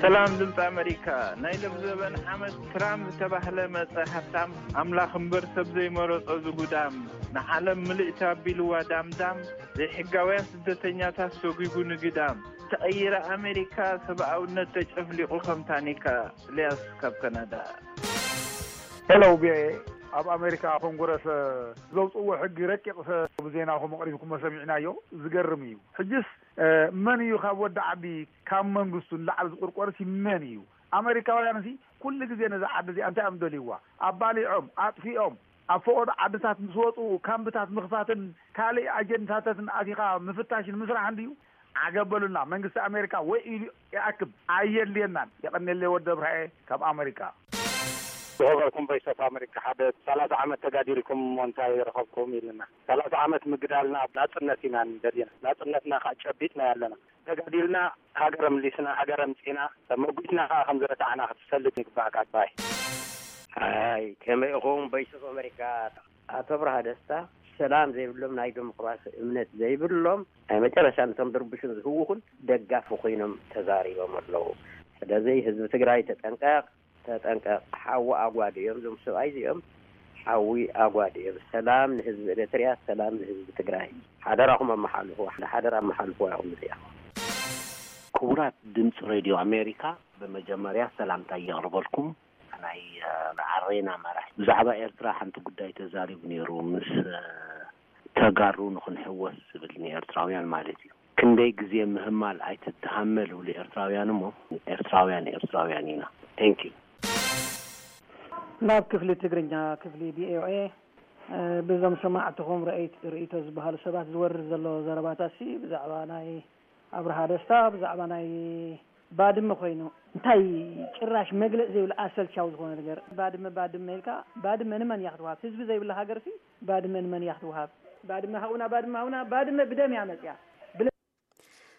ሰላም ድምፂ ኣመሪካ። ናይ ሎም ዘበን ዓመት ትራምፕ ዝተባህለ መፀ ሃብታም፣ ኣምላኽ እምበር ሰብ ዘይመረጾ ዝጉዳም፣ ንዓለም ምልእቲ ኣቢልዋ ዳምዳም፣ ዘይሕጋውያን ስደተኛታት ሰጒጉ ንግዳም፣ ተቐይረ ኣሜሪካ ሰብኣውነት ተጨፍሊቑ ከም ታኒካ። ኢልያስ ካብ ካናዳ። ሄሎ ቢኤ፣ ኣብ ኣሜሪካ ኮንግረስ ዘውፅእዎ ሕጊ ረቂቕ ብዜናኹም ኣቕሪብኩሞ ሰሚዕናዮ። ዝገርም እዩ። ሕጅስ መን እዩ ካብ ወዲ ዓዲ ካብ መንግስቱ ንላዕሊ ዝቁርቆርሲ መን እዩ? ኣሜሪካውያን ሲ ኩሉ ግዜ ነዛ ዓዲ እዚኣ እንታይ እዮም ደልይዋ? ኣባሊዖም ኣጥፊኦም ኣብ ፈቆዶ ዓድታት ምስ ወፁ ካምብታት ምኽፋትን ካልእ ኣጀንዳታትን ኣቲኻ ምፍታሽን ምስራሕን ድዩ? ዓገብ በሉና። መንግስቲ ኣሜሪካ ወይ ኢሉ ይኣክብ ኣየድልየናን። የቐንየለይ ወዲ ኣብርሃኤ ካብ ኣሜሪካ። ዝኸበርኩም ቮይስ ኦፍ ኣሜሪካ ሓደ ሰላሳ ዓመት ተጋዲልኩም እሞ እንታይ ረኸብኩም ኢልና። ሰላሳ ዓመት ምግዳልና ናፅነት ኢና ደሊና። ናፅነትና ከዓ ጨቢጥና ያለና። ተጋዲልና ሃገር ኣምሊስና፣ ሃገር ኣምፂና፣ መጒትና ከዓ ከም ዝረታዕና ክትፈልጥ ይግባእካ። ባይ ኣይ ከመይ ኢኹም ቮይስ ኦፍ ኣሜሪካ? ኣቶ ኣብርሃ ደስታ ሰላም ዘይብሎም ናይ ዴሞክራሲ እምነት ዘይብሎም ናይ መጨረሻ ነቶም ድርቡሽን ዝህውኹን ደጋፊ ኮይኖም ተዛሪቦም ኣለዉ። ስለዚ ህዝቢ ትግራይ ተጠንቀቕ፣ ተጠንቀቕ። ሓዊ ኣጓድ እዮም እዞም ሰብኣይ እዚኦም፣ ሓዊ ኣጓድ እዮም። ሰላም ንህዝቢ ኤርትርያ፣ ሰላም ንህዝቢ ትግራይ። ሓደራኹም ኣመሓልፉ፣ ሓደራ ኣመሓልፉ ኢኹም እዚኣ። ክቡራት ድምፂ ሬድዮ ኣሜሪካ፣ ብመጀመርያ ሰላምታ የቕርበልኩም። ናይ ኣሬና መራሒ ብዛዕባ ኤርትራ ሓንቲ ጉዳይ ተዛሪቡ ነይሩ፣ ምስ ተጋሩ ንኽንሕወስ ዝብል ንኤርትራውያን ማለት እዩ። ክንደይ ግዜ ምህማል ኣይትተሃመል ይብሉ ኤርትራውያን እሞ፣ ኤርትራውያን ኤርትራውያን ኢና። Thank you። ናብ ክፍሊ ትግርኛ ክፍሊ ቪኦኤ። ብዞም ሰማዕትኹም ርእይት ርእይቶ ዝበሃሉ ሰባት ዝወርድ ዘሎ ዘረባታት ሲ ብዛዕባ ናይ ኣብርሃ ደስታ ብዛዕባ ናይ ባድመ ኮይኑ እንታይ ጭራሽ መግለፂ ዘይብሉ ኣሰልቻዊ ዝኾነ ነገር። ባድመ ባድመ ኢልካ፣ ባድመ ንመን እያ ክትወሃብ? ህዝቢ ዘይብላ ሃገር ሲ ባድመ ንመን እያ ክትወሃብ? ባድመ ሃቡና፣ ባድመ ሃቡና። ባድመ ብደም እያ መፅያ።